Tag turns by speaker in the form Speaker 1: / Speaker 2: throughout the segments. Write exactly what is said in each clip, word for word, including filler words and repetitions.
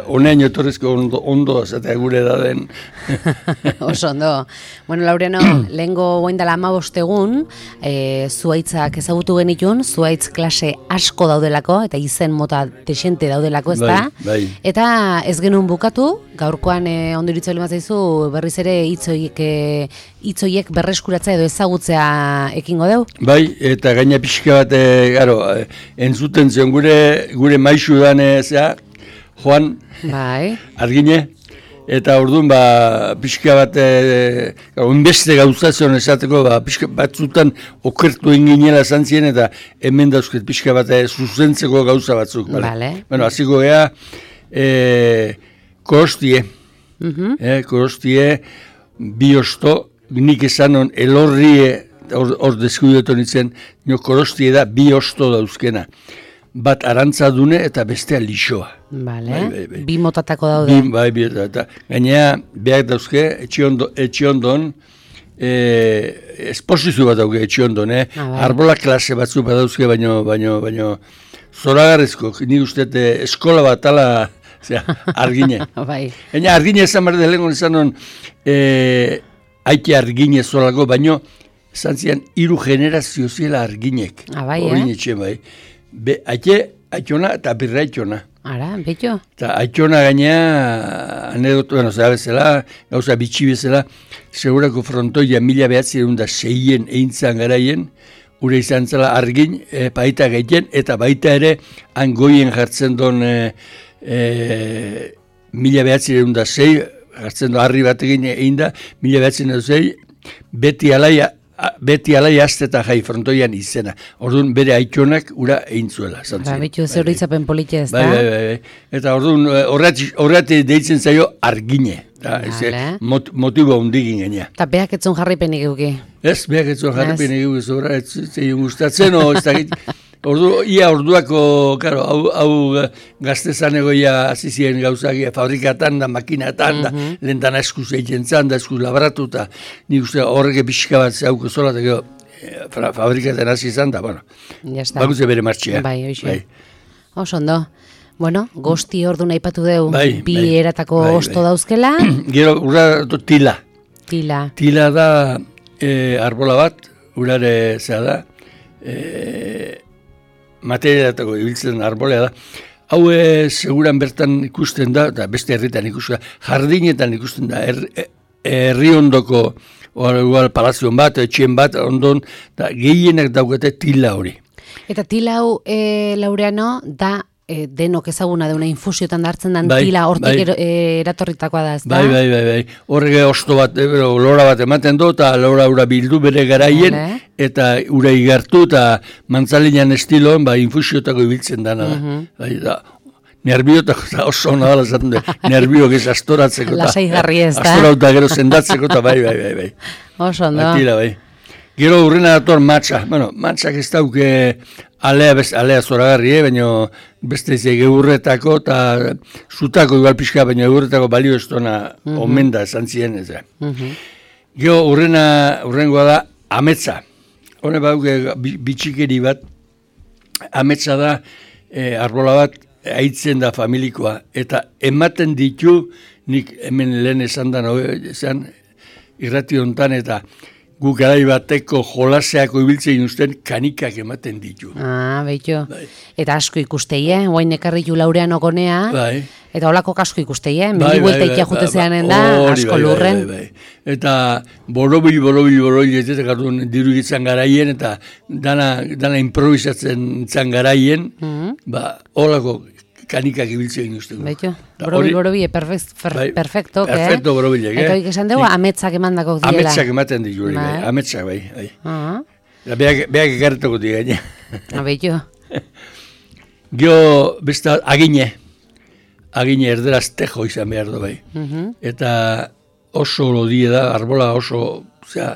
Speaker 1: Honean etorrezko ondo, ondo eta gure da den.
Speaker 2: Oso ondo. Bueno, Laureano, lehengo goindala hamabost egun, e, zuhaitzak ezagutu genitun, zuhaitz klase asko daudelako, eta izen mota desente daudelako, ez da?
Speaker 1: Bai, bai.
Speaker 2: Eta ez genuen bukatu, gaurkoan e, ondo iritzo lema zaizu, berriz ere hitzoiek e, hitzoiek berreskuratza edo ezagutzea ekingo deu?
Speaker 1: Bai, eta gaina pixka bat, e, garo, e, entzuten zion gure, gure maixu dan, e, zea, Joan,
Speaker 2: bai.
Speaker 1: Argine, eta orduan ba, pixka bat, e, unbeste gauzazion esateko, ba, pixka batzutan okertu inginela zantzien, eta hemen dauzket pixka bat e, zuzentzeko gauza batzuk.
Speaker 2: Vale.
Speaker 1: Bueno, aziko gea, e, korostie, uh-huh. e, korostie, bi osto, nik esanon elorrie, hor, hor deskudetu nintzen, nio korostie da bi osto dauzkena. Bat arantzadune eta bestea lixoa.
Speaker 2: Vale.
Speaker 1: Bai, bai, bai.
Speaker 2: Bi motatako daude.
Speaker 1: Bi, bai, bi, eta gainea, behar dauzke, etxiondon, e, esposizio bat dauke etxiondon, eh? Ah, bai. Arbola klase batzu bat dauzke, baino, baino, baino, zoragarrezko, ni uste eskola bat ala, zera, Argine.
Speaker 2: Bai.
Speaker 1: Gaina, Argine esan behar da lehenko esanon, e, haike Argine zolako, baino, esan zian, hiru generazio zela Arginek.
Speaker 2: Ah, bai,
Speaker 1: Orin
Speaker 2: eh?
Speaker 1: etxe, bai. Be, aite, aitona eta birra aitona.
Speaker 2: Ara, betxo?
Speaker 1: Eta aitona gainea, anedotu, bueno, zera bezala, gauza bitxi bezala, segurako frontoia mila behatzen da seien eintzan garaien, ure izan zela Argin, e, baita gehien, eta baita ere, angoien jartzen don e, e, mila behatzen da sei, jartzen do harri bat egin egin da, mila behatzen da sei, beti alaia, beti alai azteta jai frontoian izena. Orduan bere aitonak ura eintzuela.
Speaker 2: Ba, betxu zeur itzapen politia ez da?
Speaker 1: Bai, bai, bai, bai. Eta orduan horretik deitzen zaio Argine. Vale. Mot, motibo hundigin genea.
Speaker 2: Eta behak etzun jarripenik euki?
Speaker 1: Ez, behak etzun jarripenik euki. Zora, ez zein gustatzen, o, ez da git. Ordu, ia orduako, karo, hau, hau gaztezan egoia azizien gauzak fabrikatan da, makinatan da, mm-hmm. Lentana eskuz egiten zan da, eskuz labratu eta nik uste horreke pixka bat zehauko zola, eta gero fabrikaten hasi izan da, bueno, bakutze bere martxea.
Speaker 2: Bai, oixe. Bai. Oso ondo. Bueno, gosti ordu nahi patu deu,
Speaker 1: bai,
Speaker 2: bi
Speaker 1: bai,
Speaker 2: eratako
Speaker 1: bai,
Speaker 2: osto
Speaker 1: bai.
Speaker 2: Dauzkela.
Speaker 1: Gero, urra tila.
Speaker 2: Tila.
Speaker 1: Tila da e, arbola bat, urare zea da, e, materialatako ibiltzen arbolea da. Hau e, seguran bertan ikusten da, eta beste herritan ikusten da, jardinetan ikusten da, herri er, ondoko, igual palazion bat, etxien bat, ondon, da, gehienak daukate tila hori.
Speaker 2: Eta tila hau, e, Laureano, da, e, denok ezaguna deuna infusiotan hartzen den
Speaker 1: bai,
Speaker 2: tila hortik
Speaker 1: bai.
Speaker 2: er, e, eratorritakoa da, ez da?
Speaker 1: Bai, bai, bai, bai. Horrege osto bat, e, lora bat ematen du, eta lora ura bildu bere garaien, vale. Eta ura igartu, eta mantzalinan estiloan, ba, infusiotako ibiltzen dana da. Uh-huh. Bai, da, nerbiotako, da oso hona dala zaten du, nerbiok ez astoratzeko,
Speaker 2: lasai garri ez da.
Speaker 1: Astorauta gero sendatzeko, eta bai, bai, bai, bai.
Speaker 2: Oso ondo.
Speaker 1: Atila, bai. Gero urrena dator matxa. Bueno, matxak ez dauke alea, best, alea zoragarri, eh? Baina beste ez egurretako eta zutako igual pixka, baina egurretako balio ez dona uh-huh. Omen da esan ziren ez. Uh-huh. Gero urrena, urrengoa da ametsa. Hone bauke bitxikeri bat, ametsa da e, arbola bat aitzen da familikoa. Eta ematen ditu, nik hemen lehen esan da, no, esan irrati hontan eta guk garai bateko jolaseako ibiltzen usten kanikak ematen ditu.
Speaker 2: Ah, behitu. Bai. Eta asko ikustei, eh? Oain ekarritu Laureano gonea. Bai. Eta holako asko ikustei, eh? Meni buelta ikia jute zeanen da, asko bai, lurren.
Speaker 1: Bai, bai, bai. Eta borobil, borobil, borobil, ez eta gardun diru gitzan garaien, eta dana, dana improvisatzen zan garaien, mm-hmm. Ba, holako kanikak ibiltzen usteko.
Speaker 2: Baitu, borobil, borobil, perfecto,
Speaker 1: bai,
Speaker 2: perfecto, eh?
Speaker 1: Perfecto, borobilek, eh?
Speaker 2: Eta horik esan dugu, ametsak emandako diela.
Speaker 1: Ametsak ematen ditu, bai. Ametsak, bai. bai. Uh-huh. Beak, beak ekarretako di gaine.
Speaker 2: Abeitu.
Speaker 1: Gio, besta, agine. Agine erderaz tejo izan behar du, bai. Uh-huh. Eta oso lodie da, arbola oso, osea,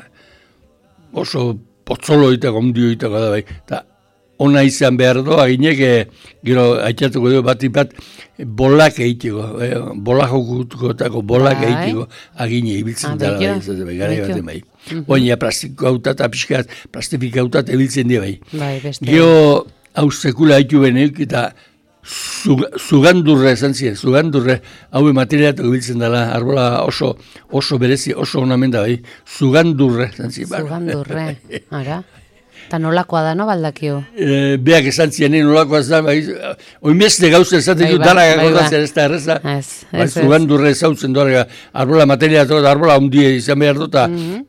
Speaker 1: oso potzolo itako, ondio itako da, bai. Eta ona izan behar du, aginek, e, gero, aitzatuko du, bat ipat, bolak egiteko, e, bolak okutako, bolak egiteko, agine ibiltzen dara, bai, bai, gara baten bai. Oina plastiko hauta eta pixkat, plastifika hauta ebiltzen dira, bai.
Speaker 2: Bai, beste.
Speaker 1: Gero, hau sekula haitu benek, eta zugandurre esan ziren, zugandurre, hau materialatu biltzen dela, arbola oso, oso berezi, oso onamen da bai, zugandurre esan ziren.
Speaker 2: Zugandurre, ara. Eta nolakoa da, no, baldakio?
Speaker 1: E, beak esan ziren, nolakoa da, bai, oimezte gauza esaten du, dara gagotatzen ez da erreza, bai, zugandurre ezautzen doa, arbola materialatu, arbola hundia izan behar dut,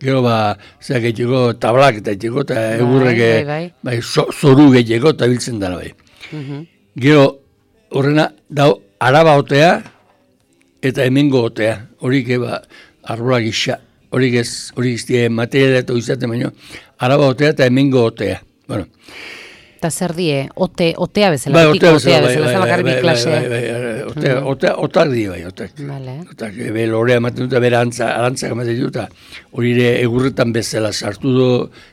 Speaker 1: gero ba, zeak egiteko tablak eta egiteko, eta egurrek, bai, zoru egiteko, eta biltzen dara bai. Gero, horrena, dau, araba otea, eta hemengo otea, horik eba, arbola gisa, horik ez, horik ez, materialatu izaten baino, araba otea eta hemengo otea. Bueno.
Speaker 2: Eta zer die, ote, otea bezala, bai, otea bezala, bezala, bezala bakarri bi klasea.
Speaker 1: Bai, bai, otea, otea, otak di bai, otak.
Speaker 2: Vale.
Speaker 1: Otak, be, lorea ematen dut, bera antza, arantzak ematen dut, hori ere egurretan bezala sartu du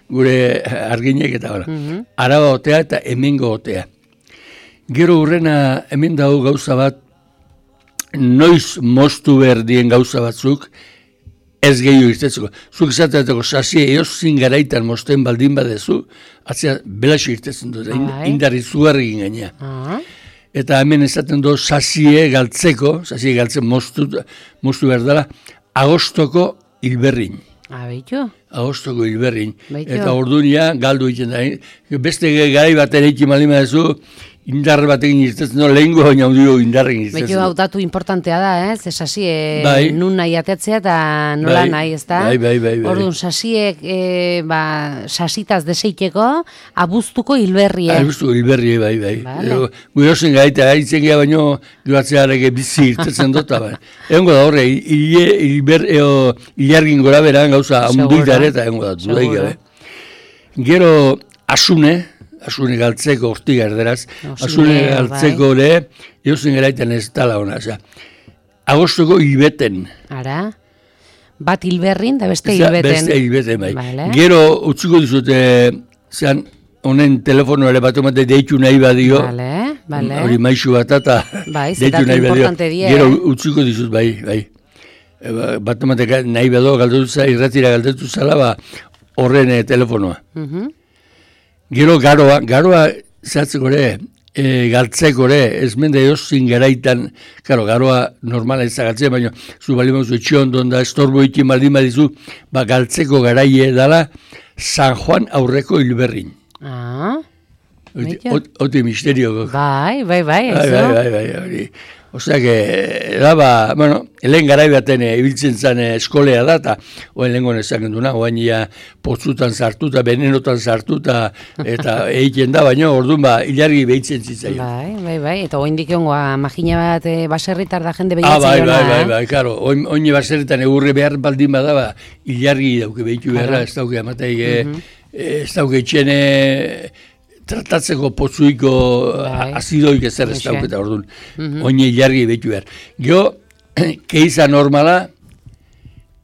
Speaker 1: gure arginek eta gara. Araba otea eta hemengo otea. Gero hurrena hemen dago gauza bat, noiz moztu behar dien gauza batzuk, ez gehiago irtetzeko. Zuk izateateko sasie eozin garaitan mosten baldin badezu, atzea belaxo irtetzen dut, indarri zugarri gainea. Eta hemen esaten du sasie galtzeko, sasie galtzen moztu, moztu behar dela, agostoko hilberrin.
Speaker 2: Abeitu?
Speaker 1: Agostoko hilberrin. Eta ordunia galdu egiten da. Beste garai bat ere ikin malima dezu, indar batekin irtetzen du, lehenko baina hundio indarrekin irtetzen du.
Speaker 2: Beto hau datu importantea da, ez? Eh? Sasie bai. Nun nahi atetzea eta nola bai. Nahi, ez da?
Speaker 1: Bai, bai, bai. bai.
Speaker 2: Orduan, sasiek, e, ba, sasitaz deseiteko, abuztuko hilberrie.
Speaker 1: Abuztuko hilberrie, bai, bai. Vale. Gure osen gaita, gaitzen geha baino, duatzearek bizi irtetzen dut, bai. Egon da horre, hilargin gora beran gauza, handuitare eta egon da, dudaik gabe. Gero, asune, asune galtzeko ortiga erderaz, asune galtzeko ere, eusen garaitan ez tala hona, oza. Agostoko hilbeten.
Speaker 2: Ara, bat hilberrin da beste hilbeten.
Speaker 1: Beste hilbeten, bai. Vale. Gero, utziko dizute, zean, honen telefono ere bat omate deitu nahi badio.
Speaker 2: Vale, vale.
Speaker 1: Hori maizu bat eta
Speaker 2: bai, deitu nahi badio.
Speaker 1: Gero, utziko dizut, bai, bai. Bat omate nahi badio, galdetuza, irratira galdetuza, ba, horren telefonoa. Mhm. Gero garoa, garoa zehatzeko ere, e, galtzeko ere, ez mende eozin garaitan, karo, garoa normala ez galtzea, baina zu bali mauzu etxiondon da, estorbo ikin baldin badizu, ba, galtzeko garaie dala, San Juan aurreko hilberrin.
Speaker 2: Ah,
Speaker 1: Oti misterio.
Speaker 2: Bai, bai, bai,
Speaker 1: ez bai, bai, bai, bai. Osea, que, daba, bueno, lehen garai baten ibiltzen zen eskolea da, eta oen lehen gona ezaken duna, oen ia potzutan sartuta, benenotan sartuta, eta egiten da, baina orduan ba, hilargi behitzen zitzaion.
Speaker 2: Bai, bai, bai, eta oen dikiongoa, magina bat e, baserritar da jende
Speaker 1: behitzen
Speaker 2: ah,
Speaker 1: bai,
Speaker 2: jona,
Speaker 1: bai, bai, bai, karo, oin, oin baserritan egurre behar baldin bada, ba, hilargi dauke behitu beharra, ez dauke amateik, uh -huh. ez dauke etxene, tratatzeko potzuiko azidoik ezer ez dauketa orduan, oine jarri behitu behar. Gero, keiza normala,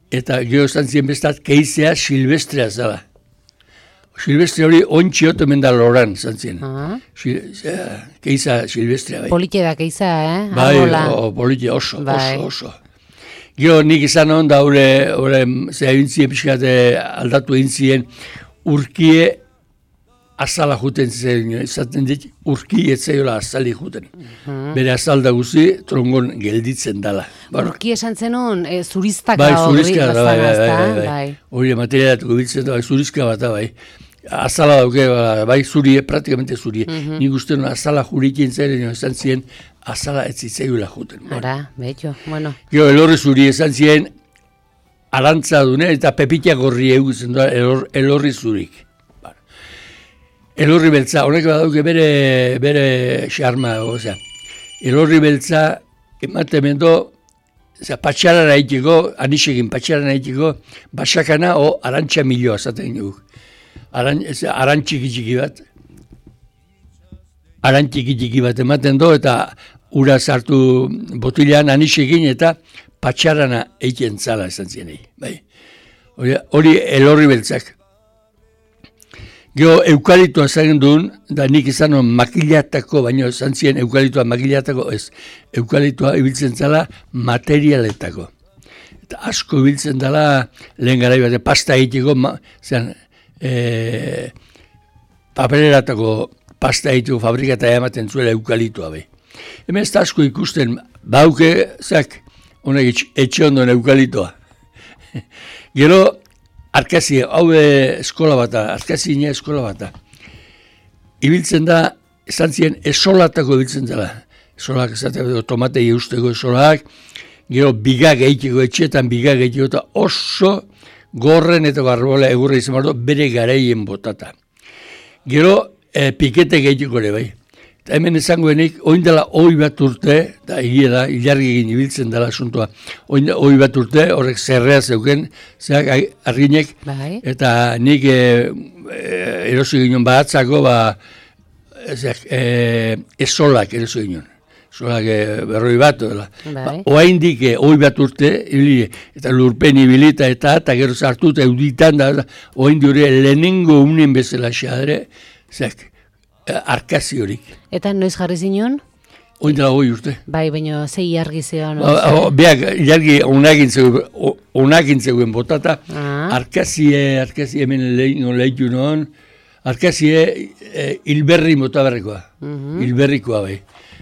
Speaker 1: eta gero esan ziren bestat, keizea silvestrea zala. Silvestre hori ontxiot hemen da loran, esan ziren. Keiza silvestrea bai.
Speaker 2: Polite da keiza, eh?
Speaker 1: Bai, polite oso, oso, oso. Gero nik izan hon da hori, zera bintzien pixkate aldatu egin ziren, urkie azala juten zen, izaten dit, urki etzaiola azali juten. Uh-huh. Bere azalda guzi, trongon gelditzen dala.
Speaker 2: Urki esan zenun, e, zuriztaka
Speaker 1: bai, zurizka
Speaker 2: hori,
Speaker 1: da, bai, bai, bai, bai. Hori materialatuko biltzen da, bai, zurizka bat da, bai. Azala dauke, bai, zurie, praktikamente zurie. Uh-huh. Nik uste nuen azala jurikin zaren, esan ziren, azala ez zitzaiola juten.
Speaker 2: Ara, betxo, bueno.
Speaker 1: Gero, elorri zuri esan ziren, arantza dune, eta pepitiak horri egutzen da, elor, elorri zurik. Elorri beltza, honek badauke bere, bere xarma, osea. Elorri beltza, ematen mendo, patxarara egiteko, anisekin patxarara egiteko, basakana o arantxa milioa zaten guk. Aran, arantxiki txiki bat. Arantxiki txiki bat ematen do, eta ura sartu botilean anisekin, eta patxarana egiten zala esan zienei. Bai. Hori elorri beltzak. Gero, eukalitoa zaren duen, da nik izan makilatako, baina esan ziren eukalitoa makilatako, ez, eukalitoa ibiltzen zala materialetako. Eta asko ibiltzen dela, lehen gara ibate, pasta egiteko, zean, e, papereratako pasta egiteko fabrikata ematen zuela eukalitoa, bai. Hemen ez da asko ikusten, bauke, zak, honek etxe ondoen eukalitoa. Gero, arkazi, hau eskola bata, arkazine eskola bata. Ibiltzen da, esan ziren, esolatako ibiltzen dela. Esolak, esatea, tomatei eusteko esolak, gero bigak egiteko, etxeetan bigak egiteko, eta oso gorren eta garbola egurra izan bardo, bere garaien botata. Gero, e, pikete egiteko ere bai. Eta hemen esangoenik, oin dela oi bat urte, eta egia da, ilargi egin ibiltzen dela asuntoa, oin dela oi bat urte, horrek zerrea zeuken, zeak arginek,
Speaker 2: bai. Eta
Speaker 1: nik e, e, erosi ginen batzako, ba, zeak, e, esolak erosi ginen. Solak berroi bat, ba, oain dik, oi bat urte, ibili, eta lurpen ibilita eta eta gero sartu eta euditan da, oain diure lehenengo unen bezala xadre, zek, arkazi horik.
Speaker 2: Eta noiz jarri zinon?
Speaker 1: Oin dela oi urte.
Speaker 2: Bai, baina zei ilargi zegoen.
Speaker 1: Ba, beak, ilargi onakin zegoen botata,
Speaker 2: ah.
Speaker 1: arkazie, arkazie hemen lehin lehitu non, arkazie e, hilberri motaberrikoa, uh -huh. hilberrikoa bai.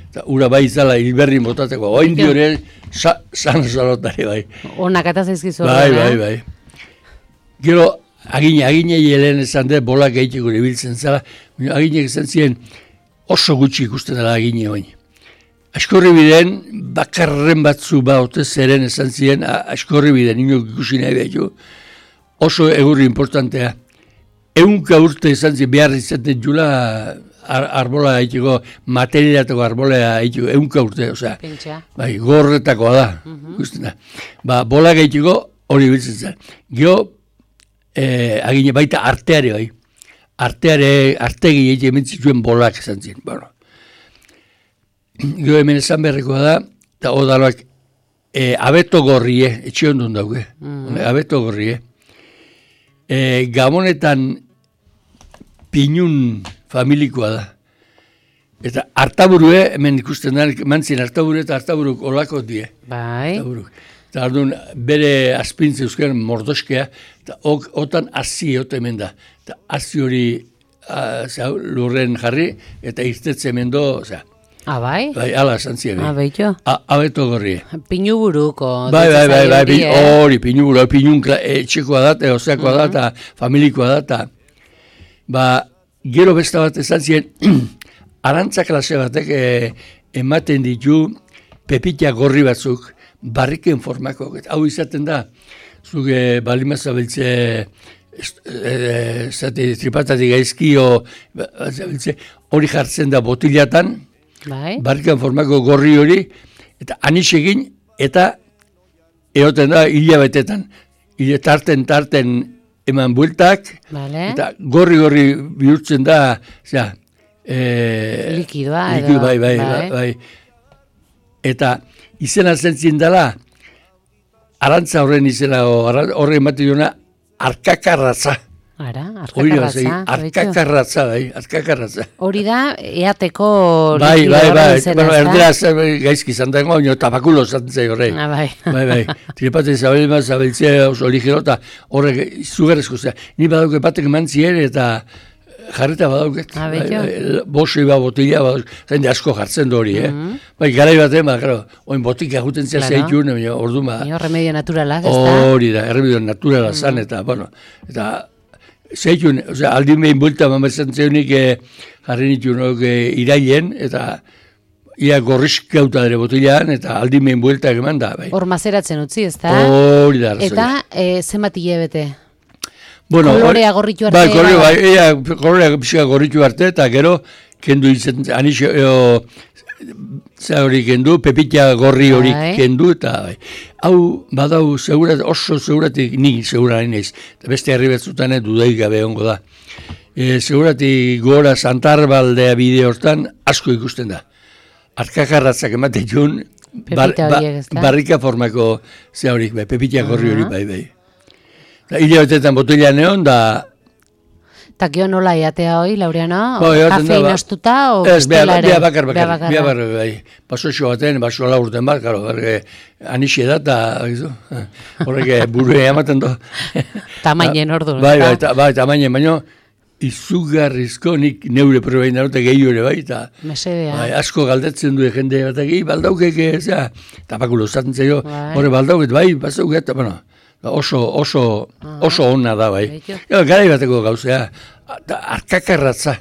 Speaker 1: Eta ura bai izala hilberri motateko, oin diore sa, san salotare bai.
Speaker 2: Onak eta zaizkizu.
Speaker 1: Bai, bai, bai. Gero, agine, aginei helen esan de, bolak egiteko ibiltzen zela, aginek esan ziren oso gutxi ikusten dela agine oin. Askorri biden, bakarren batzu ba ote zeren esan ziren, askorri biden, inok ikusi nahi behitu, oso egurri importantea. Eunka urte esan ziren, behar izaten jula, Ar arbola egiteko, materialetako arbola egiteko, eunka urte, osea, bai, gorretakoa da, uh -huh. da. Ba, bola egiteko hori biltzen zen. Gio, eh, agine baita arteare bai, arteare, artegi egite ementzituen bolak esan ziren, bueno. Gio hemen esan berrekoa da, eta odaloak, eh, abeto gorrie, etxe ondun dauke, uh -huh. abeto gorrie. Eh, Gabonetan pinun familikoa da. Eta hartaburue, hemen ikusten da, mantzien hartaburu eta hartaburuk olako die.
Speaker 2: Bai.
Speaker 1: Hartaburuk. Eta orduan bere azpintze euskaren mordoskea, eta ok, otan hazi egote hemen da. Eta hazi hori a, zau, lurren jarri, eta irtetze hemen do, zera.
Speaker 2: Ah, bai?
Speaker 1: Bai, ala esan ziren.
Speaker 2: Ah, baito.
Speaker 1: Abeto gorri.
Speaker 2: Pinuburuko.
Speaker 1: Bai, bai, bai, bai, bai, hori, pinuburu, pinun etxekoa da, eta oseakoa da, eta familikoa da, eta ba, gero beste bat esan ziren, arantza klase batek e, ematen ditu pepita gorri batzuk, barriken formako, eta hau izaten da, zuk e, balima zabiltze, e, zate, tripatatik gaizkio, zabiltze, hori jartzen da botilatan,
Speaker 2: bai.
Speaker 1: Barriken formako gorri hori, eta anixegin, eta egoten da hilabetetan, hile tarten, tarten, eman bueltak,
Speaker 2: vale.
Speaker 1: Eta gorri-gorri bihurtzen da, zera, e,
Speaker 2: likidoa,
Speaker 1: likido,
Speaker 2: edo.
Speaker 1: Bai, bai, bai, bai. Eta izena zentzien dela, arantza horren izena, horren ematen duena, arkakarratza.
Speaker 2: Ara, arkakarratza.
Speaker 1: Arkakarratza, bai, arkakarratza.
Speaker 2: Hori da, eateko
Speaker 1: bai,
Speaker 2: likido
Speaker 1: bai,
Speaker 2: horren izena,
Speaker 1: bai, erderaz gaizki zantango, baina tabakulo zantzei horrein.
Speaker 2: Ah, bai.
Speaker 1: Bai, bai, tripatzen zabelima zabeltzea oso ligero, eta horrek izugarrezko, zera, ni badauke batek mantzien, eta jarreta badauket.
Speaker 2: Ah, betio.
Speaker 1: Bai, bosoi ba botila, badauket, zain de asko jartzen dori, eh? Mm -hmm. Bai, garai batean, ba, claro, oin botik aguten zea claro. Zeitun, ordu, ba.
Speaker 2: Nio, remedio naturalak, ez da?
Speaker 1: Hori da, remedio naturalak zan, eta, bueno, eta, zeitun, osea, aldin behin bulta, mamazan zeunik, eh, jarri nituen, eh, irailen, eta, ia gorrizkauta dere botilaan, eta aldin behin bueltak eman da, bai.
Speaker 2: Hor mazeratzen utzi, ez da?
Speaker 1: Hori da, arrazoia.
Speaker 2: Eta, e, zenbat hilabete?
Speaker 1: Bueno,
Speaker 2: kolorea gorritu arte?
Speaker 1: Bai, kolorea, bai, ea, kolorea pixka gorritu arte, eta gero, kendu izen, anixo, eo, za hori kendu, pepita gorri hori bai. Kendu, eta, bai. Hau, badau, segurat, oso seguratik, ni segurari naiz, eta beste herri betzutanen dudaik gabe ongo da. E, seguratik gora Santarbaldea bide hortan, asko ikusten da. Arkakarratzak ematen jun, bar, ba, barrika formako ze horik, bai, pepita gorri hori, bai, bai. Hile batetan botila neon, da...
Speaker 2: Eta gio nola eatea hoi, Laureano?
Speaker 1: Ba,
Speaker 2: kafein ba, astuta, o
Speaker 1: ez,
Speaker 2: bestela ere?
Speaker 1: Ez, bakar, bakar, bakar, bakar, bakar, bai. Baso xo baten, baso ala urten bat, karo, horrek, anixie da, eta, horrek, burue ematen do.
Speaker 2: Tamainen ordu,
Speaker 1: bai, bai, ta, bai, tamainen, baino, izugarrizko nik neure probain darote gehiu ere bai, eta
Speaker 2: Mesedea.
Speaker 1: bai, asko galdetzen du jende bat egi, baldaukek, zera, tapakulo zaten zaio,
Speaker 2: Bai.
Speaker 1: hori baldauket, bai, bazauket, eta, bueno, oso, oso, oso onna da, bai.
Speaker 2: Beitu.
Speaker 1: Ja, garai bateko gauzea, da, arkakarratza,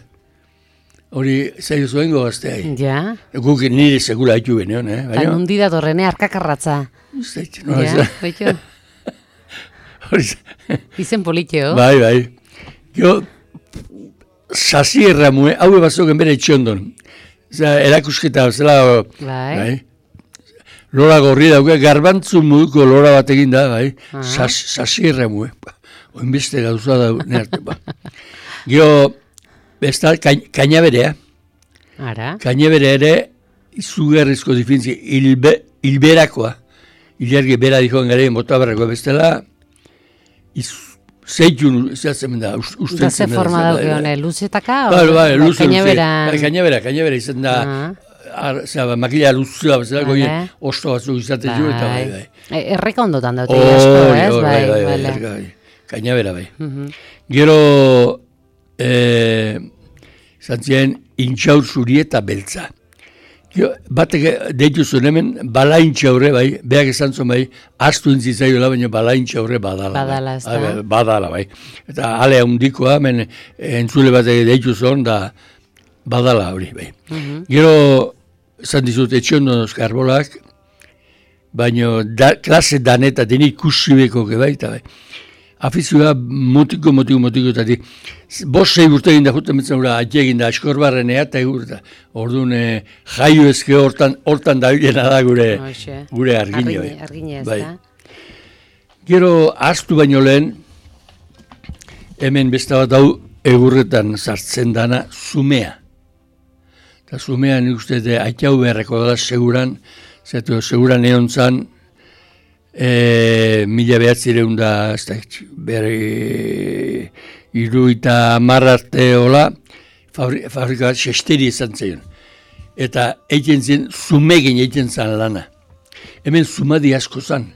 Speaker 1: hori zaio zuen gogaztea,
Speaker 2: Ja.
Speaker 1: guk nire segula haitu beneon, eh,
Speaker 2: Eta
Speaker 1: baina,
Speaker 2: nundi datorrene arkakarratza.
Speaker 1: zait, no,
Speaker 2: Ja,
Speaker 1: ez-
Speaker 2: beitu.
Speaker 1: hori,
Speaker 2: Izen politxeo.
Speaker 1: bai, bai, jo, sasi erramue, hau bazoken bere etxondon. Zera, erakusketa, zela,
Speaker 2: Bai.
Speaker 1: lora gorri dauke, garbantzu moduko lora bat egin da, bai,
Speaker 2: Ah.
Speaker 1: Sas, sasi erramue. Oin beste gauza da, nerte, ba. Gero, ez da, kainaberea,
Speaker 2: Ara.
Speaker 1: kainabere ere, izugarrizko difintzi, hilbe, hilberakoa, hilargi bera dikoen garen motabarrakoa bestela, iz, zeitun, zehatzen da, us-
Speaker 2: Da
Speaker 1: usten
Speaker 2: ze
Speaker 1: zen.
Speaker 2: forma
Speaker 1: bai,
Speaker 2: dauke
Speaker 1: bai.
Speaker 2: hone, luzetaka?
Speaker 1: Bai, bai, luze, luze.
Speaker 2: Kainaberan.
Speaker 1: Bai, kainabera, kainabera izan da,
Speaker 2: Ah.
Speaker 1: ar, zera, makila luzua, bezala,
Speaker 2: Vale.
Speaker 1: goien, osto batzuk izaten jo, eta bai, bai.
Speaker 2: E, Erreka ondotan daute
Speaker 1: Hori,
Speaker 2: asko,
Speaker 1: hori,
Speaker 2: ez?
Speaker 1: bai, bai, bai,
Speaker 2: bale.
Speaker 1: bai, bai, kainabera, bai.
Speaker 2: Mhm.
Speaker 1: Gero, eh, zantzien, intxaur zuri eta beltza. Gero, batek deitu zuen hemen, bala intxaurre, bai, behak esan zuen, bai, astu intzitzaioela, baina bala intxaurre badala.
Speaker 2: Badala,
Speaker 1: bai.
Speaker 2: ezta?
Speaker 1: Ah, bai, badala, bai. Eta ale handikoa, hemen, entzule batek deitu zuen, da, badala hori, bai.
Speaker 2: Mhm.
Speaker 1: Gero, esan dizut, etxondonozk arbolak, baina da, klase daneta denik kusibeko bai, eta bai. Afizioa motiko, motiko, motiko, eta di, bost sei urte egin da juten betzen ura, ati egin da askorbarrenea, eta egur, eta orduan eh, jaio ezke hortan, hortan da bilena da gure,
Speaker 2: Hoxe.
Speaker 1: gure argine,
Speaker 2: Argine,
Speaker 1: bai.
Speaker 2: argine ez
Speaker 1: Bai.
Speaker 2: da.
Speaker 1: Gero, astu baino lehen, hemen beste bat hau egurretan sartzen dana, zumea. Eta zumea nik uste de aitau beharreko da seguran, zatu seguran egon zan, e, mila behatzireun da, ez da, bere iru eta marrarte hola, fabri, fabrika bat xesteri izan zeion. Eta egiten zen, zumegin egiten zan lana. Hemen zumadi asko zan.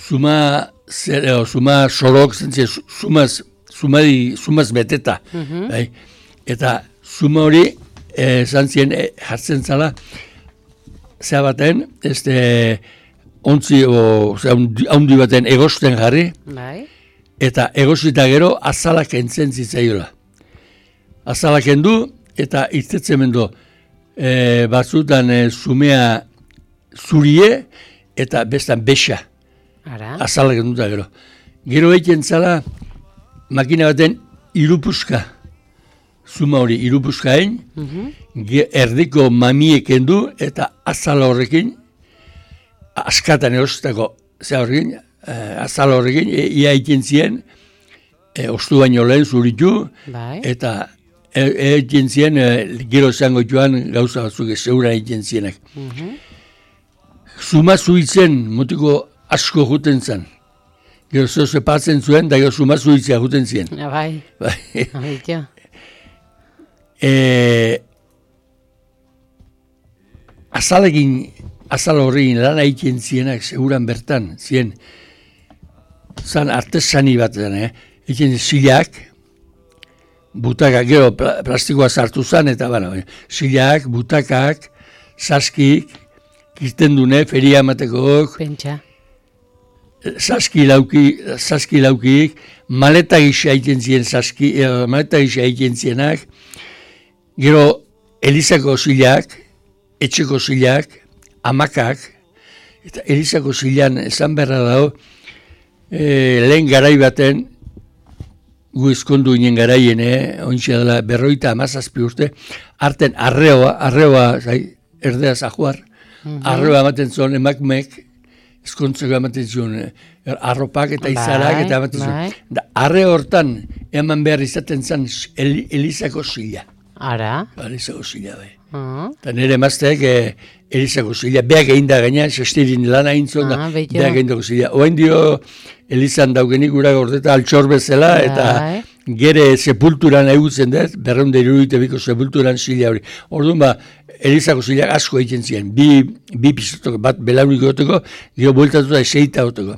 Speaker 1: Zuma, zer, o, zuma sorok zen zen, zumaz, zumadi, zumaz beteta. Bai? Eta zuma hori, eh, zan zien, eh, jartzen zala, zea baten, ez de, ontzi, o, zea, haundi baten egosten jarri,
Speaker 2: Bai.
Speaker 1: eta egosita gero azalak entzen zitzaiola. Azalak endu, eta irtetzen mendo, e, batzutan e, zumea zurie, eta bestan besa,
Speaker 2: Ara.
Speaker 1: azalak enduta gero. Gero egiten zala, makina baten irupuska, zuma hori irupuska egin,
Speaker 2: Mhm.
Speaker 1: ge- erdiko mamiek endu, eta azala horrekin, askatan erostako, ze horrekin, eh, azala horrekin, e, ia egiten zien, e, ostu baino lehen zuritu,
Speaker 2: Bai.
Speaker 1: eta e- egiten zien, e, gero zango joan gauza batzuk zeuran egiten zienak.
Speaker 2: Mhm.
Speaker 1: Zuma zuitzen, motiko asko juten zen. Gero zeu zepatzen zuen, da gero zuma zuitzea juten zien.
Speaker 2: Ah, Bai.
Speaker 1: Bai.
Speaker 2: Beitu.
Speaker 1: E, azalekin, azal horrekin lan egiten zienak, seguran bertan, zien, zan artesani bat zen, eh? Egiten zilak, butakak, gero pla, plastikoa sartu zen, eta bana, zilak, butakak, saskik, kirten dune, feria amatekok,
Speaker 2: Pentsa.
Speaker 1: saski lauki, saski laukik, maleta gisa egiten zien saski, eh, maleta gisa egiten zienak, gero Elizako zilak, etxeko zilak, amakak, eta Elizako zilan esan beharra dago, e, lehen garai baten, gu ezkondu ginen garaien, eh, ointxe dela berroita amazazpi urte, arten arreoa, arreoa, zai, erdeaz ajuar, arreoa ematen zuen emakumeek, ezkontzeko ematen zuen, eh, arropak eta izarak
Speaker 2: Bai,
Speaker 1: eta ematen zuen.
Speaker 2: bai.
Speaker 1: Da, arre hortan eman behar izaten zen El, Elizako zila.
Speaker 2: Ara.
Speaker 1: Elizako zila, bai.
Speaker 2: Ah.
Speaker 1: Eta nire emazteak eh, Elizako zila, beak egin da gaina, sestirin lan egin zuen da,
Speaker 2: Ah, beitu.
Speaker 1: beak egin dago zila. Oain dio Elizan daugenik gura gordeta altxor bezala, eta
Speaker 2: Bai.
Speaker 1: gere sepulturan egutzen dut, berreunde iruditu biko sepulturan zila hori. Orduan ba, Elizako zilak asko egiten ziren, bi, bi pisotoko, bat belaurik goteko, gero bueltatu da eseita goteko.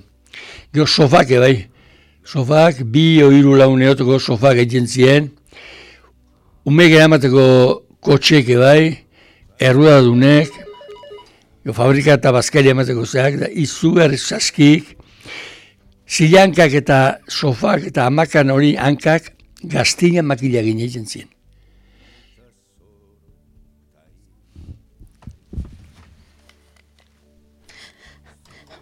Speaker 1: Gero sofake bai, sofak, bi o hiru laun eoteko sofak egiten ziren, umek eramateko kotxeek bai, errudadunek, fabrika eta bazkaria emateko zeak, da izugarri saskik, zilankak eta sofak eta hamakan hori hankak gaztina makila gine egiten ziren.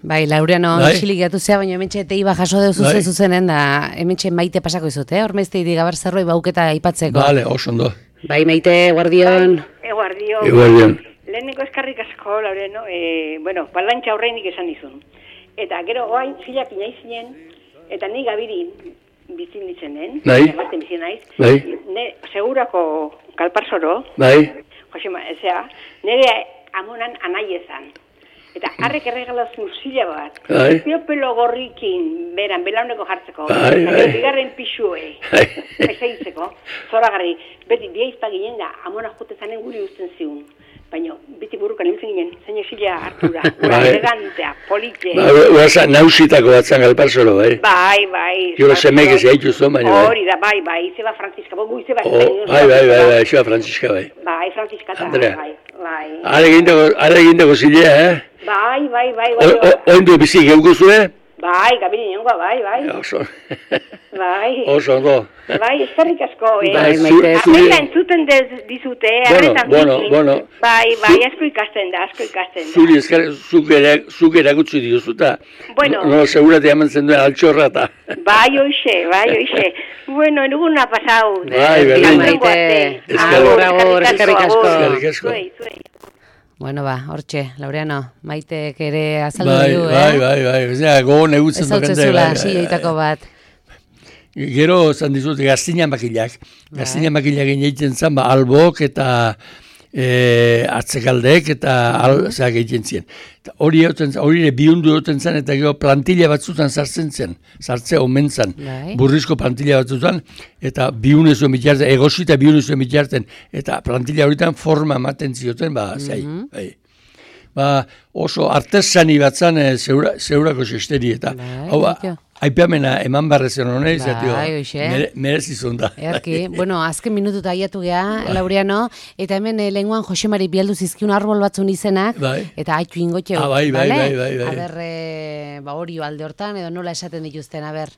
Speaker 2: Bai, Laureano,
Speaker 1: bai.
Speaker 2: Isilik gatu zea, baina hementxe teiba jaso deu zuzen
Speaker 1: bai.
Speaker 2: zuzenen, da hementxe Maite pasako izut, eh? Hormezte idi gabar zerroi bauketa aipatzeko.
Speaker 1: Bale, oso ondo.
Speaker 2: Bai, Maite, guardion.
Speaker 3: Eguardion.
Speaker 1: Eguardion.
Speaker 3: Leheneko eskarrik asko, Laureno, e, bueno, balantxa horreinik esan dizun. Eta gero, oain, zilak inaizinen, eta ni gabiri bizin ditzenen,
Speaker 1: bai.
Speaker 3: Ematen bizin naiz,
Speaker 1: Bai.
Speaker 3: ne, segurako kalparsoro,
Speaker 1: Bai.
Speaker 3: Josema, ezea, nire amonan anai ezan. Eta harrek erregalazun zila bat,
Speaker 1: Bai.
Speaker 3: pelo gorrikin, beran, belauneko jartzeko,
Speaker 1: Bai,
Speaker 3: eta
Speaker 1: bai.
Speaker 3: bigarren pixue,
Speaker 1: Bai.
Speaker 3: ezeitzeko, zoragarri, beti biaizpa ginen da, amona jote zanen guri usten ziun. Baina, beti burukan hiltzen ginen, zein esila hartura, ura
Speaker 1: Bai.
Speaker 3: elegantea, polite.
Speaker 1: Ba, Uaza, nausitako batzan galparzolo, bai.
Speaker 3: Bai, bai.
Speaker 1: Jolo semek ez gaitu zuen, baina bai.
Speaker 3: Hori da, bai, bai, Izeba Franziska, bogu Izeba.
Speaker 1: Oh, bai, bai, bai, bai, Xoa Frantziska, bai.
Speaker 3: Bai, Franziska eta,
Speaker 1: Andrea.
Speaker 3: bai, bai.
Speaker 1: Are egindako, are egindako zilea, eh?
Speaker 3: Bai, bai, bai,
Speaker 1: O-
Speaker 3: bai.
Speaker 1: o- Oindu bizi geuko zuen?
Speaker 3: Bai, gabini nengoa, bai, bai.
Speaker 1: Oso.
Speaker 3: Bai.
Speaker 1: Oso ondo.
Speaker 3: Bai, eskerrik asko, eh.
Speaker 2: Bai,
Speaker 1: zu-
Speaker 2: Maite,
Speaker 1: zuri-
Speaker 3: Arreta entzuten dez dizute, eh,
Speaker 1: Bueno,
Speaker 3: arretan
Speaker 1: bueno,
Speaker 3: bizi.
Speaker 1: bueno.
Speaker 3: Bai, bai, asko ikasten da, asko ikasten da.
Speaker 1: Zuri eskar, zuk, ere, zuk erakutsi diozuta.
Speaker 3: Bueno.
Speaker 1: No, no segurate eman zen duen altxorra eta.
Speaker 3: Bai, oixe, bai, oixe. Bueno, enuguna pasau.
Speaker 1: Bai, bai,
Speaker 2: Bai,
Speaker 1: bai.
Speaker 2: Maite.
Speaker 1: Eskerrik
Speaker 2: Agur, agur, eskerrik asko.
Speaker 1: Eskerrik asko.
Speaker 3: Zuei, zuei.
Speaker 2: Bueno, ba, hortxe, Laureano, Maitek ere azaldu
Speaker 1: Bai,
Speaker 2: du, eh?
Speaker 1: bai, bai, bai. Osea, gogon egutzen
Speaker 2: Ez hau
Speaker 1: tokante,
Speaker 2: zezula,
Speaker 1: bai, bai,
Speaker 2: silloitako bat.
Speaker 1: Gero, zan dizut, gaztina makilak. Gaztina makilak egiten zan, ba, albok eta e, atzekaldek eta al, zeak egiten ziren. Eta hori egoten zan, hori ere bihundu egoten zan, eta gero plantilla batzutan sartzen zen, sartzea omen zan,
Speaker 2: Bai.
Speaker 1: burrizko plantilla batzutan, eta bihune zuen bitarten, egosita bihune zuen bitarten, eta plantilla horietan forma ematen zioten, ba, zai, bai. Ba, oso artesani batzan e, zeura, zeurako xesteri, eta
Speaker 2: Bai,
Speaker 1: hau, ba,
Speaker 2: betio.
Speaker 1: aipamena eman barrezen honez,
Speaker 2: Bai, hoxe.
Speaker 1: mere, merezizun da.
Speaker 2: Erki, bueno, azken minututa aiatu geha, Laureano, eta hemen eh, lenguan Josemari bialdu zizkiun arbol batzun izenak,
Speaker 1: Bai.
Speaker 2: eta haitu ingotxeu,
Speaker 1: Ah, bai, bai,
Speaker 2: bale?
Speaker 1: bai, bai, bai.
Speaker 2: Aber, eh, ba, hori alde hortan, edo nola esaten dituzten, aber.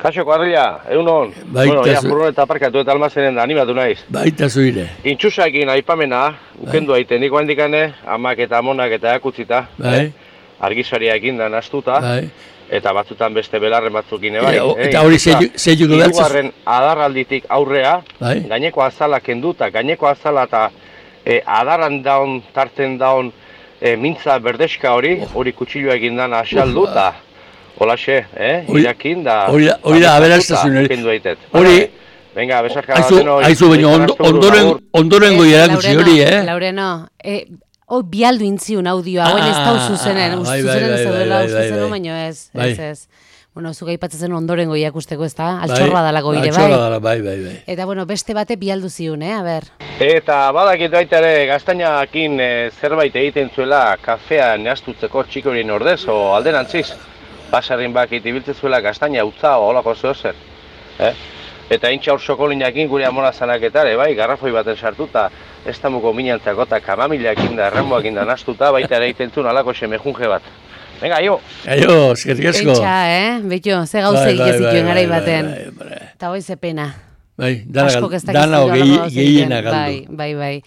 Speaker 4: Kaixo, kuadrilla, egun hon.
Speaker 1: Baita
Speaker 4: Bueno, ja,
Speaker 1: zu-
Speaker 4: furgon eta aparkatu eta almazenen da, animatu naiz.
Speaker 1: Baita zuire.
Speaker 4: Intxusakin aipamena, ukendu aite, niko handikane, amak eta amonak eta akutzita,
Speaker 1: Bai,
Speaker 4: argisaria ekin da nastuta,
Speaker 1: bai.
Speaker 4: eta batzutan beste belarren batzukin ebai.
Speaker 1: Eta- eta hori zeiu- zeiuko beltza-
Speaker 4: Hirugarren adarralditik aurrea,
Speaker 1: Bai.
Speaker 4: gaineko azala kenduta, gaineko azala eta e, adarran daun, tarten daun, e, mintza berdeska hori, hori kutsilloa egin dana asalduta. Holaxe, eh?
Speaker 1: Hori-
Speaker 4: Irakin da...
Speaker 1: hori da- hori da aberastasun hori.
Speaker 4: Kendu aitet.
Speaker 1: Hori-
Speaker 4: Venga, besarka
Speaker 1: Aizu,
Speaker 4: denoi.
Speaker 1: aizu baino, ondo, ondoren, ondorengo
Speaker 2: Eh,
Speaker 1: irakutsi hori, eh?
Speaker 2: Laureno, eh, hoi bialdu intziun audioa, hauen ez
Speaker 1: Ah,
Speaker 2: dau zuzenen, uste
Speaker 1: bai, bai,
Speaker 2: zuzenen
Speaker 1: bai,
Speaker 2: zaudela
Speaker 1: bai,
Speaker 2: uste
Speaker 1: bai,
Speaker 2: zenu,
Speaker 1: bai.
Speaker 2: baino ez,
Speaker 1: Bai.
Speaker 2: ez ez. Bueno, zuga aipatzen ondorengo iakusteko ez da, altxorra
Speaker 1: Bai,
Speaker 2: dalako ire,
Speaker 1: altxorra
Speaker 2: bai.
Speaker 1: dala, bai, bai, bai.
Speaker 2: Eta bueno, beste bate bialdu ziun, eh, a ber.
Speaker 4: Eta badakit baita ere, gaztainakin eh, zerbait egiten zuela kafea neastutzeko txikorien ordez, o alderantziz. Basarrin bakit ibiltzen zuela gaztaina utza o holako zeo zer. Eh? Eta intxa hor sokolinakin gure amona zanaketare, bai, garrafoi baten sartuta, ez tamuko minantzako eta kamamileakin da, erramoakin da nastuta, baita ere egiten zuen alako semejunge bat. Venga, jo!
Speaker 1: Aio, eskerrik asko.
Speaker 2: Pentsa, eh, betxo, ze gauze
Speaker 1: Bai,
Speaker 2: egite
Speaker 1: bai,
Speaker 2: zituen
Speaker 1: bai,
Speaker 2: garai
Speaker 1: bai,
Speaker 2: baten.
Speaker 1: bai, bai, bai.
Speaker 2: Eta hoi ze pena.
Speaker 1: Bai, dana,
Speaker 2: Askok ez dakiz
Speaker 1: dana
Speaker 2: zure
Speaker 1: gehi,
Speaker 2: horrelako gauza
Speaker 1: gehiena
Speaker 2: egiten. Bai,
Speaker 1: galdu.
Speaker 2: bai, bai.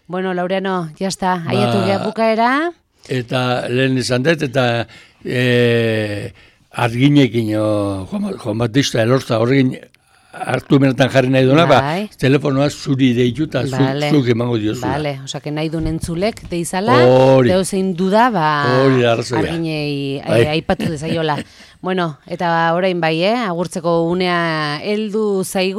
Speaker 2: Bueno, Laureano, jazta, aiatu
Speaker 1: Ba-
Speaker 2: geha bukaera.
Speaker 1: Eta lehen izan dut, eta e, arginekin, o, Juan, Juan Batista elorza horrekin hartu benetan jarri nahi duena,
Speaker 2: Bai.
Speaker 1: ba, telefonoa zuri deitu eta zu,
Speaker 2: Vale.
Speaker 1: zuk emango diozula.
Speaker 2: Vale, osake nahi duen entzulek deizala,
Speaker 1: Hori.
Speaker 2: deo zein duda, ba,
Speaker 1: Hori da arrazoia.
Speaker 2: arginei
Speaker 1: Bai.
Speaker 2: eh, aipatu dezaiola. Bueno, eta orain bai, eh, agurtzeko unea heldu zaigu.